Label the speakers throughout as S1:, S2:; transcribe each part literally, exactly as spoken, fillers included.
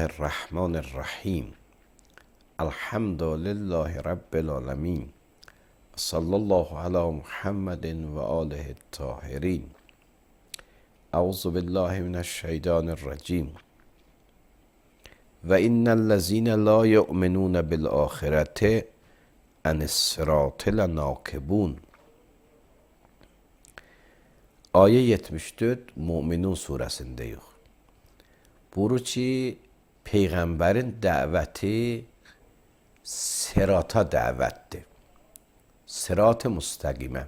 S1: الرحمن الرحیم الحمد لله رب العالمین صلی الله علی محمد و آله الطاهرین. اعوذ بالله من الشیطان الرجیم. و ان الذین لا یؤمنون بالآخرة عن الصراط لناکبون. Ayet yetmiş dört Müminun suresinde. Buyurur ki Peygamberin dəvəti sirata dəvətdir. Sirat-ı müstəqimə.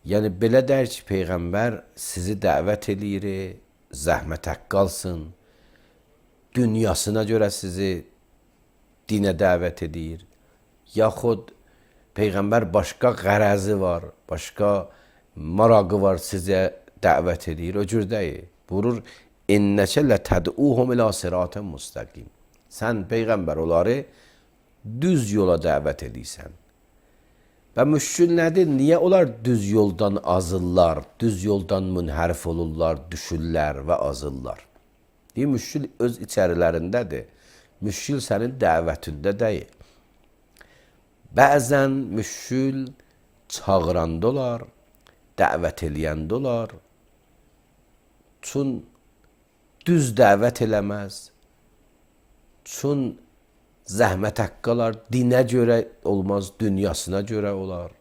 S1: Yəni belə deyir ki, Peyğəmbər sizi dəvət eləyir, zəhmətə qalsın, dünyasına görə sizi dinə dəvət edir. Yaxud Peyğəmbər başqa qərəzi var, başqa marağı var, sizə dəvət edir. O cür deyil. Buyurur, İnnəkə lətəd'uhum ilə siratən müstəqim. Sən Peyğəmbər onları düz yola dəvət edirsən. Və müşkül nədir? Niyə onlar düz yoldan azırlar, düz yoldan münhərif olurlar, düşürlər və azırlar? Deyir, müşkül öz içərilərindədir. Müşkül sənin dəvətində deyil. Bəzən müşkül çağıranda olar, dəvət eləyəndə olar. Çün düz dəvət eləməz, çün zəhmət haqqalar, dinə görə olmaz, dünyasına görə olar,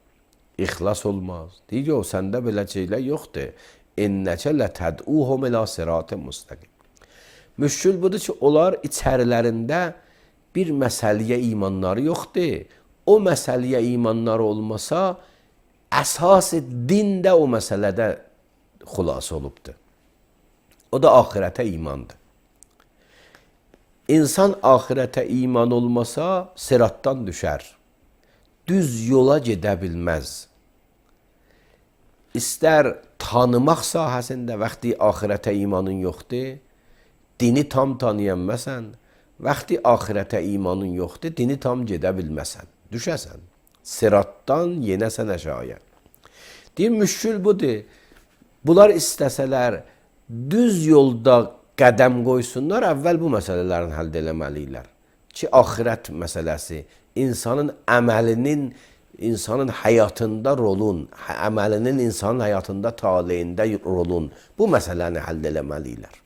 S1: ixlas olmaz. Deyir ki, o səndə belə şeylər yoxdur. İnnəkə lətəd'uhum ilə sirat-ı müstəqim. Müşkül budur ki, onlar içərilərində bir məsələyə imanları yoxdur. O məsələyə imanları olmasa, əsas din də o məsələdə xülas olubdur. O da ahirete imandır. İnsan ahirete iman olmasa sırattan düşer. Düz yola gedə bilməz. İstər tanımaq sahəsində vaxtı ahirete imanın yoxdur, dini tam tanıyanməsən, vaxtı ahirete imanın yoxdur, dini tam gedə bilməsən, düşəsən. Sırattan yenəsən aşağıya. Deyir, müşkül budur. Bunlar istəsələr, düz yolda qədəm qoysunlar, əvvəl bu məsələlərin həll eləməliyirlər. Ki, axirət məsələsi, insanın əməlinin, insanın həyatında rolun, əməlinin insanın həyatında taleyində rolun, bu məsələni həll eləməliyirlər.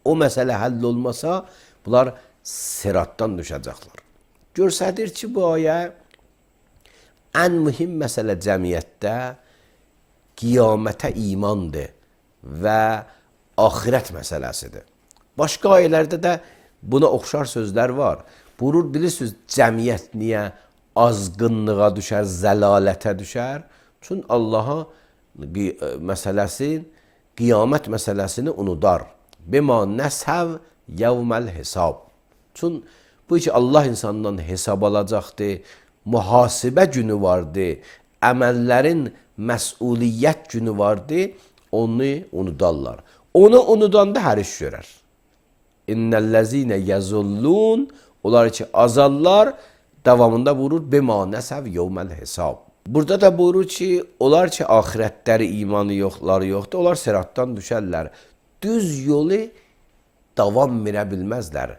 S1: O məsələ həll olmasa, bunlar siratdan düşəcəklər. Görsədir ki, bu ayə ən mühim məsələ cəmiyyətdə qiyamətə imandır və axirət məsələsidir. Başqa ayələrdə də buna oxşar sözlər var. Buyurur, bilirsiniz, cəmiyyət niyə azğınlığa düşər, zəlalətə düşər? Çünki Allaha məsələsin, qiyamət məsələsini unudar. Bima nəsəv yevməl hesab. Çünki bu ki, Allah insandan hesab alacaqdır, mühasibə günü vardır, əməllərin məsuliyyət günü vardır, onu unudarlar. Onu unudanda hər iş görər. İnnellezine yezullun, onlar ki azallar, davamında buyurur bima nəsəv yevməl hesab. Burada da buyurur ki, onlar ki ahirətləri imanı yoxları yoxdur, onlar siratdan düşərlər. Düz yolu davam verə bilməzlər.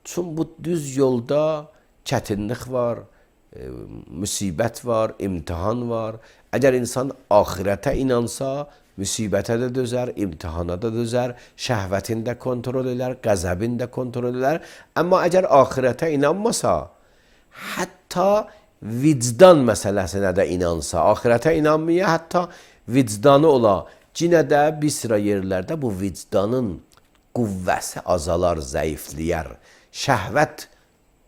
S1: Çünki bu düz yolda çətinlik var, e, müsibət var, imtihan var. Əgər insan ahirətə inansa, müsibətə də dözər, imtihana da dözər, şəhvətini də kontrol edər, qəzəbini də kontrol edər. Amma əgər ahirətə inanmasa, hətta vicdan məsələsinə də inansa, ahirətə inanmaya, hətta vicdanı ola, cinə də bir sıra yerlərdə bu vicdanın qüvvəsi azalar, zəifləyər. Şəhvət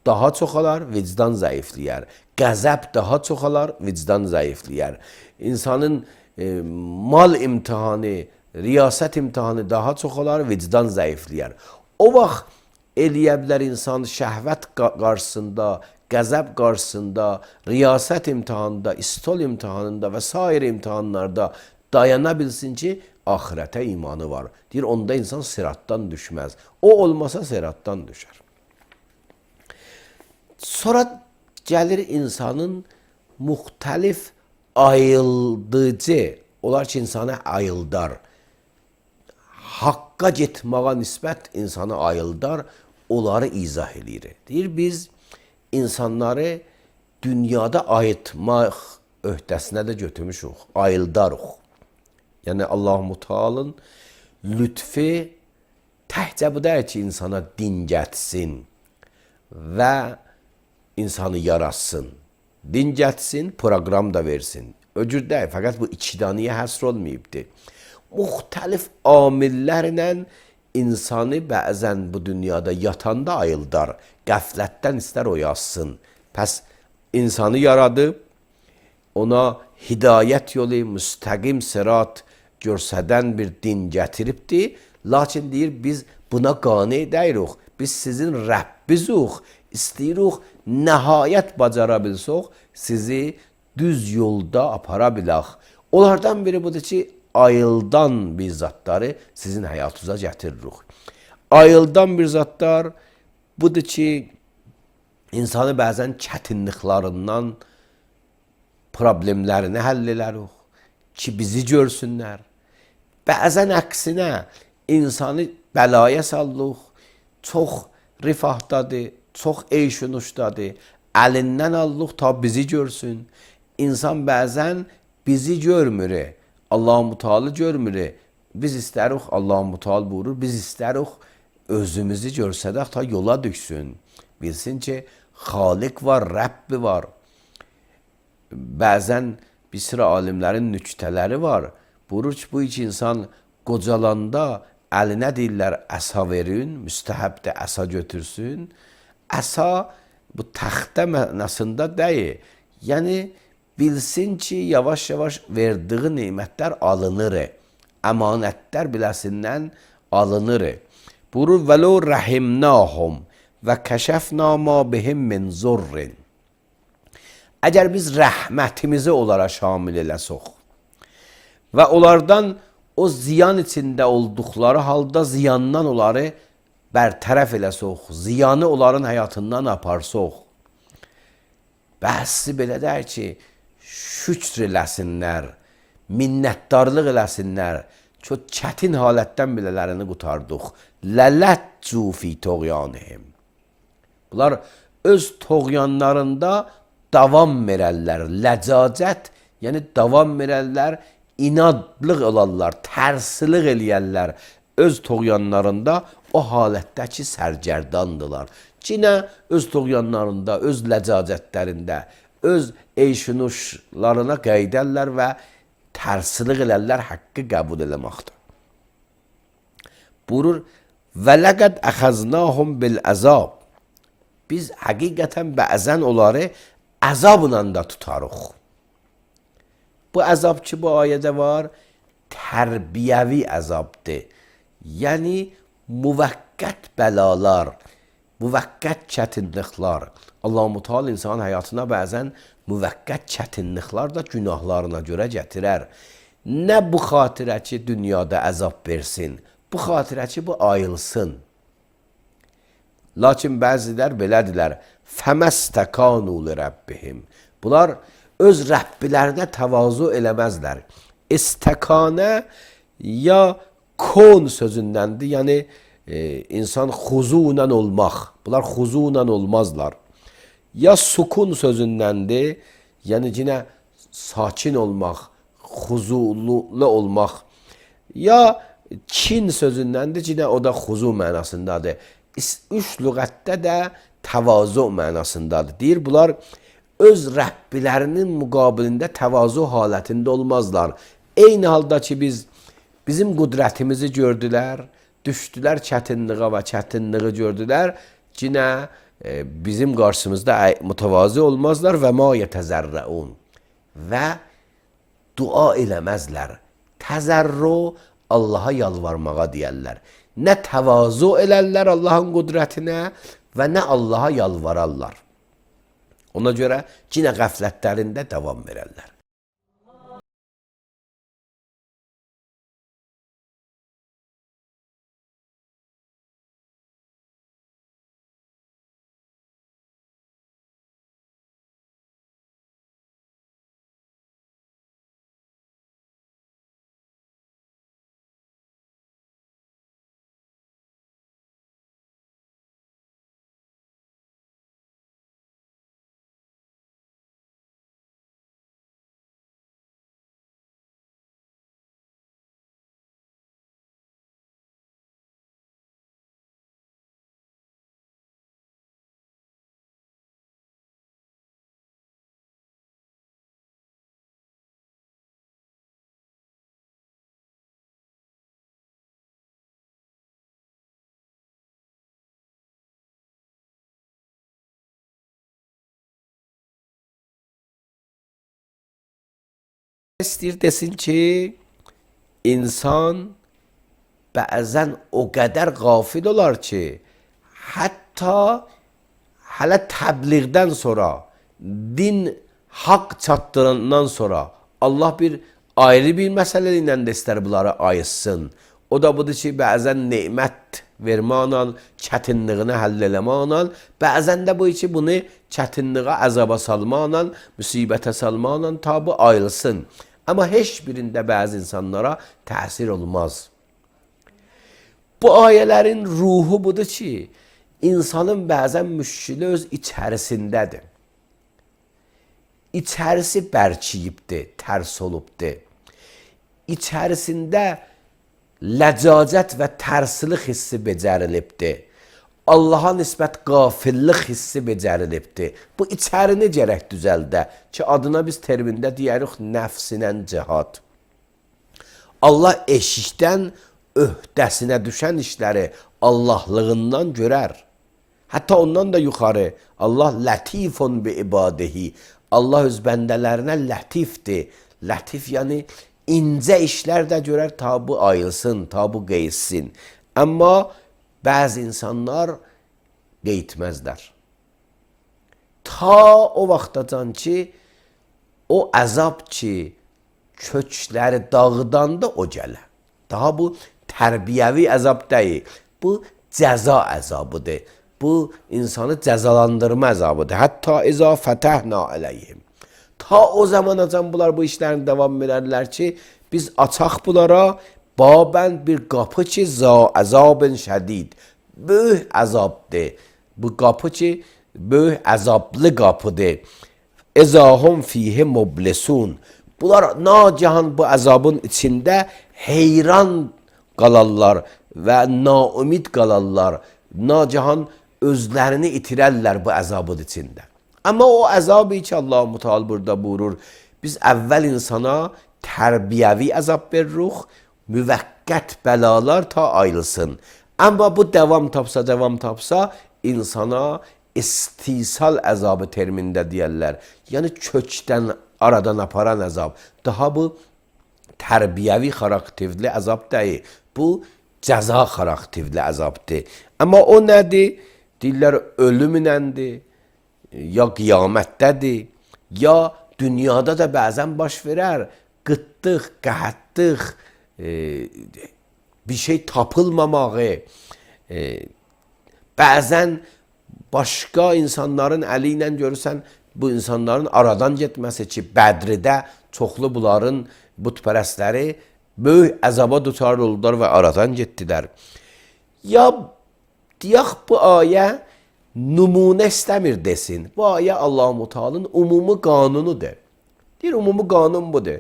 S1: daha çoxalar, vicdan zəifləyər. Qəzəb daha çoxalar, vicdan zəifləyər. İnsanın e, mal imtihanı, riyasət imtihanı daha çoxalar, vicdan zəifləyər. O vaxt eləyə bilər insan şəhvət qarşısında, qəzəb qarşısında, riyasət imtihanında, istol imtihanında və sair imtihanlarda dayana bilsin ki, ahirətə imanı var. Deyir, onda insan siratdan düşməz. O olmasa siratdan düşər. Sonra gəlir insanın müxtəlif ayıldıcı, onlar ki insanı ayıldar. haqqa getməyə nisbət insanı ayıldar, onları izah eləyir. Deyir, biz insanları dünyada ayıtmaq öhdəsinə də götürmüşük, ayıldarıq. Yəni Allah-u Teala'nın lütfi təhcə bu deyir ki, insana din gətsin və insanı yaratsın. Din gətsin, proqram da versin. Öcür deyil, fəqət bu iki daniyə həsr olmayıbdır. Müxtəlif amillərlə insanı bəzən bu dünyada yatanda ayıldar, qəflətdən istər oyasın. Pəs insanı yaradıb, ona hidayət yolu, müstəqim sırat görsədən bir din gətiribdir. Lakin deyir, biz buna qane deyirik. Biz sizin Rəbbizuq, istəyirik, nəhayət bacara bilsək, sizi düz yolda apara bilək. Onlardan biri budur ki, ayıldan bir zatları sizin həyatınıza gətiririk. Ayıldan bir zatlar budur ki, insanı bəzən çətinliklərindən problemlərini həll edərik ki, bizi görsünlər. Bəzən əksinə insanı bəlaya sallıq, çox rifahdadır, çox eyşunuşdadır, əlindən allıq ta bizi görsün. İnsan bəzən bizi görmür, Allah-u Teala görmür. Biz istərik, Allah-u Teala buyurur, biz istərik özümüzü görsədək ta yola düşsün. Bilsin ki, Xaliq var, Rəbbi var. Bəzən bir sıra alimlərin nüktələri var. Buyurur ki, bu iki insan qocalanda əlinə deyirlər, əsa verin, müstəhəbdə əsa götürsün. Əsa bu təxtə mənasında deyil. Yəni, bilsin ki, yavaş-yavaş verdiği nimətlər alınır. Əmanətlər biləsindən alınır. Buyurur, vəlo rəhimnahum və kəşəfna ma bihim min zurrin. Əgər biz rəhmətimizi onlara şamil eləsək və onlardan o ziyan içində olduqları halda ziyandan onları bərtərəf eləsək, ziyanı onların həyatından aparsaq, bəhsi belə deyir ki, şükr eləsinlər, minnətdarlıq eləsinlər, çox çətin halətdən bilələrini qutardıq. Lələtcu fi toğyanihim. Bunlar öz toğyanlarında davam verərlər. Ləcacət, yəni davam verərlər, inadlıq olarlar, tərsilik eləyərlər. Öz toğyanlarında o halətdəki sərgərdandılar. Cinə öz toğyanlarında, öz ləcacətlərində, öz eyşunuşlarına qeydərlər və tərsilik elərlər, haqqı qəbul eləməkdir. Buyurur, və ləqəd əxəznahum bil əzab. Biz həqiqətən bəzən onları əzabla da tutarıq. Bu əzab ki, bu ayədə var, tərbiyəvi əzabdır. Yəni, müvəqqət bəlalar, müvəqqət çətinliklər. Allah-u Teala insanın həyatına bəzən müvəqqət çətinliklər də günahlarına görə gətirər. Nə bu xatirə ki, dünyada əzab versin, bu xatirə ki, bu ayılsın. Lakin bəzilər belədirlər, fəməstəkanu li rəbbihim. Bunlar öz Rəbbilərinə təvazu eləməzlər. İstəkanə ya kon sözündəndir, yəni e, insan xuzunlə olmaq. Bunlar xuzunlə olmazlar. Ya sukun sözündəndir, yəni yine sakin olmaq, xuzulu olmaq. Ya kin sözündəndir, yine o da xuzu mənasındadır. Üç lüğətdə də təvazu mənasındadır. Deyir, bunlar öz Rəbbilərinin müqabilində təvazu halətində olmazlar. Eyni halda ki, biz bizim qüdrətimizi gördülər, düşdülər çətinliğə və çətinliği gördülər, yine e, bizim qarşımızda mütəvazi olmazlar və ma yetəzərrəun və dua eləməzlər. Təzərru Allaha yalvarmağa deyərlər. Nə təvazu elərlər Allahın qüdrətinə və nə Allaha yalvararlar. Ona görə yine qəflətlərində davam verərlər. istəyir desin ki, insan bəzən o qədər qafil olar ki, hətta hələ təbliğdən sonra, din haqq çatdırandan sonra Allah bir ayrı bir məsələ ilə də istər bunları ayırsın. O da budur ki, bəzən nemət verməklə, çətinliyini həll eləməklə, bəzən də bu ki, bunu çətinliyə, əzaba salmaqla, müsibətə salmaqla tabi ayrılsın. Amma heç birində bəzi insanlara təsir olmaz. Bu ayələrin ruhu budur ki, insanın bəzən müşkili öz içərisindədir. İçərisi bərkiyibdir, tərs olubdur. İçərisində ləcacət və tərslik hissi becərilibdir. Allaha nisbət qafillik hissi becərilibdir. Bu içərini gərək düzəldə ki, adına biz termində deyərik nəfsinən cihad. Allah eşikdən öhdəsinə düşən işləri Allahlığından görər. Hətta ondan da yuxarı Allah lətifun bi ibadihi. Allah öz bəndələrinə lətifdir. Lətif yəni incə işlər də görər, tabi ayılsın, tabi qeyssin. Amma bəzi insanlar qeytməzlər. Ta o vaxtacan ki, o əzab ki, kökləri dağıdanda o gələ. Daha bu tərbiyəvi əzab deyil. Bu cəza əzabıdır. Bu insanı cəzalandırma əzabıdır. Hətta izə fətəhna əleyhim. Ta o zamanacan bunlar bu işlərini davam edərlər ki, biz açaq bunlara babən bir qapı ki, za əzabın şədid. Böyük əzabdır. Bu qapı ki, böyük əzablı qapıdır. İzahum fihi mublisun. Bunlar nacahan bu əzabın içində heyran qalarlar və naümid qalarlar. Nacahan özlərini itirərlər bu əzabın içində. Amma o əzabı ki, Allah-u Teala burada buyurur, biz əvvəl insana tərbiyəvi əzab veririk, müvəqqət bəlalar ta ayrılsın. Amma bu devam tapsa, devam tapsa, insana istisal əzabı termində deyərlər. Yəni kökdən, aradan aparan əzab. Daha bu tərbiyəvi xarakterli əzab deyil. Bu cəza xarakterli əzabdır. Amma o nədir? Deyirlər ölümünəndir, ya qiyamətdədir, ya dünyada da bəzən baş verər. Qıtlıq, qəhətlik, e, bir şey tapılmamağı, e, bəzən başqa insanların əli ilə görürsən, bu insanların aradan getməsi ki, Bədridə çoxlu bunların bütpərəstləri böyük əzaba duçar oldular və aradan getdilər. Ya deyək bu ayə nümunə istəmir desin. Bu ayə Allah-u Teala'nın umumi qanunudur. Deyir, umumi qanun budur.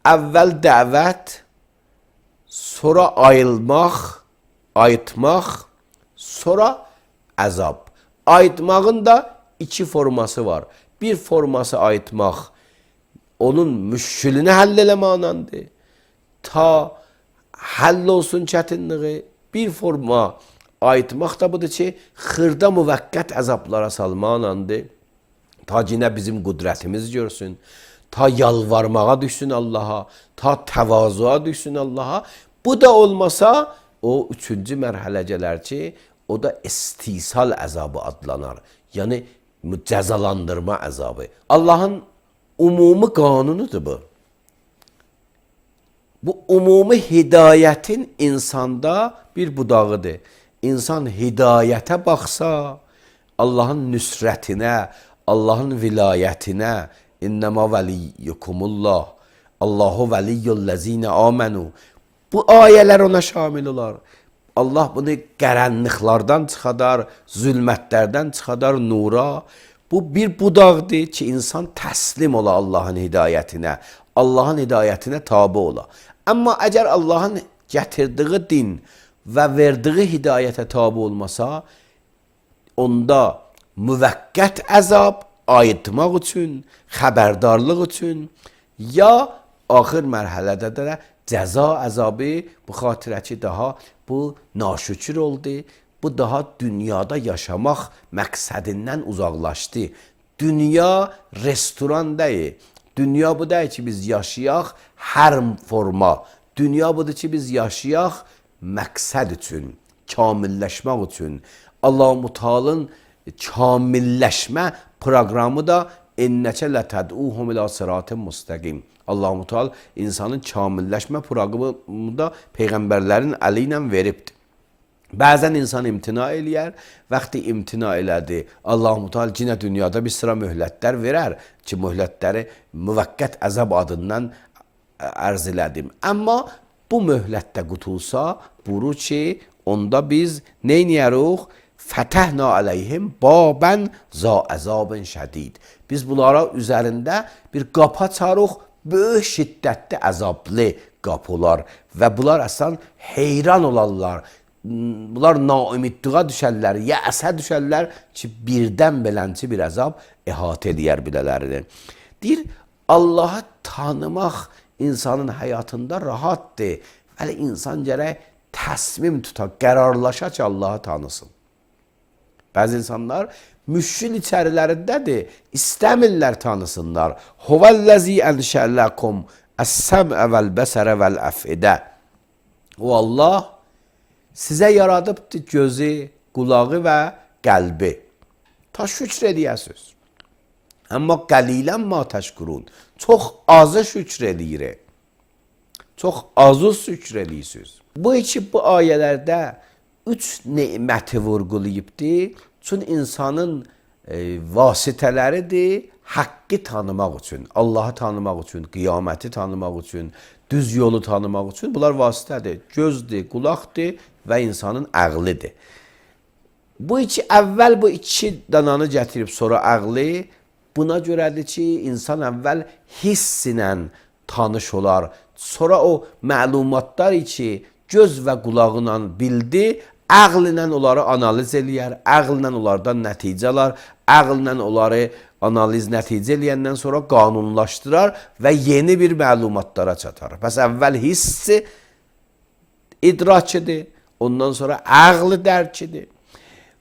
S1: Əvvəl dəvət, sonra ayılmaq, ayıtmaq, sonra əzab. Ayıtmağın da iki forması var. Bir forması ayıtmaq, onun müşkülünü həll eləməklədir. Ta həll olsun çətinliği. Bir forma ayıtmaq da budur ki, xırda müvəqqət əzablara salmaqlandır. Ta yine bizim qüdrətimiz görsün. Ta yalvarmağa düşsün Allaha. Ta təvazuğa düşsün Allaha. Bu da olmasa o üçüncü mərhələ gələr ki, o da istisal əzabı adlanar. Yəni cəzalandırma əzabı. Allahın umumi qanunudur bu. Bu umumi hidayətin insanda bir budağıdır. İnsan hidayətə baxsa, Allahın nüsrətinə, Allahın vilayətinə, İnnəmə vəliyyukumullah, Allahu vəliyyullezine amenu. Bu ayələr ona şamil olar. Allah bunu qaranlıqlardan çıxadar, zülmətlərdən çıxadar nura. Bu bir budaqdır ki, insan təslim ola Allahın hidayətinə, Allahın hidayətinə tabi ola. Amma əgər Allahın gətirdiyi din və verdiyi hidayətə tabi olmasa, onda müvəqqət əzab ayıtmaq üçün, xəbərdarlıq üçün, ya axır mərhələdə də cəza əzabı bu xatirə ki, daha bu naşükür oldu, bu daha dünyada yaşamaq məqsədindən uzaqlaşdı. Dünya restoran deyil, Dünya bu deyil ki, biz yaşayaq hər forma. Dünya budur ki, biz yaşayaq məqsəd üçün, kamilləşmək üçün. Allah-u Teala'nın kamilləşmə proqramı da ennəkə lətəd'uhum ilə sıratın müstəqim. Allah-u Teala insanın kamilləşmə proqramı da peyğəmbərlərin əli ilə veribdir. Bəzən insan imtina eləyər, vaxtı imtina elədi. Allah-u Teala yenə dünyada bir sıra möhlətlər verər ki, möhlətləri müvəqqət əzab adından ərz elədim. Amma bu möhlətdə qutulsa, buyurur ki, onda biz neyniyəruq? Fətəhna aleyhim babən za əzabın şədid. Biz bunlara üzərində bir qapı açarıq, böyük şiddətli əzablı qapılar və bunlar əslən heyran olarlar. Bunlar naümidliğə düşərlər, yəsə düşərlər ki, birdən belənci bir əzab əhatə edər bilələrini. Deyir, Allahı tanımaq insanın həyatında rahatdır. Vəli insan gərək təsmim tutar, qərarlaşa ki, Allahı tanısın. Bəzi insanlar müşkil içərilərindədir, istəmirlər tanısınlar. Huvəl-ləzi ənşə'ləkum əs-səm'ə vəl-bəsərə vəl-əfidə. O Allah sizə yaradıbdır gözü, qulağı və qəlbi. Ta şükr edəyəsiniz. Amma qəlilən ma təşkurun. Çox azı şükr edirik. Çox azı şükr edirsiniz. Bu iki bu ayələrdə üç neməti vurğulayıbdır. Çünki insanın e, vasitələridir haqqı tanımaq üçün, Allahı tanımaq üçün, qiyaməti tanımaq üçün, düz yolu tanımaq üçün. Bunlar vasitədir. Gözdür, qulaqdır və insanın ağlıdır. Bu iki, əvvəl bu iki dananı gətirib sonra ağlı, buna görədir ki, insan əvvəl hiss ilə tanış olar. Sonra o məlumatlar ki, göz və qulağıyla bildi, ağl ilə onları analiz eləyər, ağl ilə onlardan nəticə alar, ağl ilə onları analiz nəticə eləyəndən sonra qanunlaşdırar və yeni bir məlumatlara çatar. Bəs əvvəl hissi idrakidir, ondan sonra ağlı dərkidir.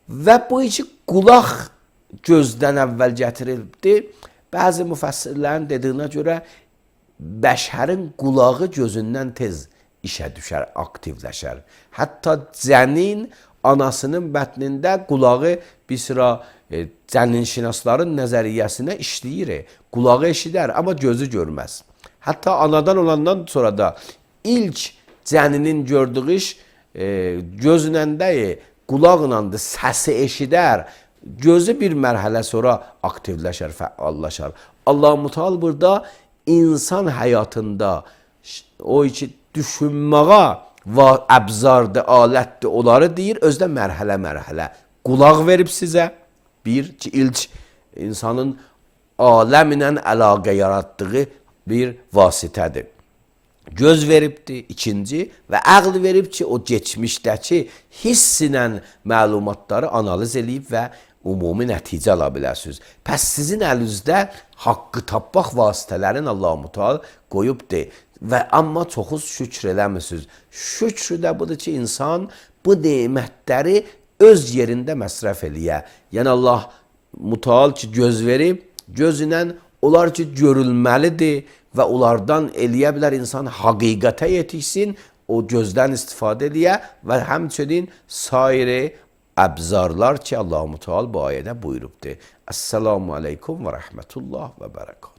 S1: Və bu iki qulaq gözdən əvvəl gətirildi. Bəzi müfəssirlərin dediyinə görə bəşərin qulağı gözündən tez işə düşər, aktivləşər. Hətta cənin anasının bətnində qulağı bir sıra e, cəninşinasların nəzəriyyəsinə işləyir. Qulağı eşidər, amma gözü görməz. Hətta anadan olandan sonra da ilk cəninin gördüyü iş e, gözünəndəyi, qulaqlandı, səsi eşidər. Gözü bir mərhələ sonra aktivləşər, fəallaşar. Allah-u Teala burada insan həyatında o iki düşünməyə əbzardır, alətdir, onları deyir, özdə mərhələ-mərhələ. Qulaq verib sizə, bir ki, ilk insanın aləm ilə əlaqə yaratdığı bir vasitədir. Göz veribdir, ikinci, və ağl verib ki, o geçmişdəki hiss ilə məlumatları analiz edib və umumi nəticə ala biləsiniz. Pəs sizin əlinizdə haqqı tapmaq vasitələrin Allah-u Teala qoyubdur. Və amma çoxuz şükr eləmirsiniz. Şükr də budur ki, insan bu nemətləri öz yerində məsrəf eləyə. Yəni Allah-u Teala ki, göz verib, göz ilə onlar ki, görülməlidir və onlardan eləyə bilər insan həqiqətə yetişsin, o gözdən istifadə eləyə və həmçinin sairi əbzarlar ki, Allah-u Teala bu ayədə buyurubdur. Əssalamu aleykum və rəhmətullah və bərəkət.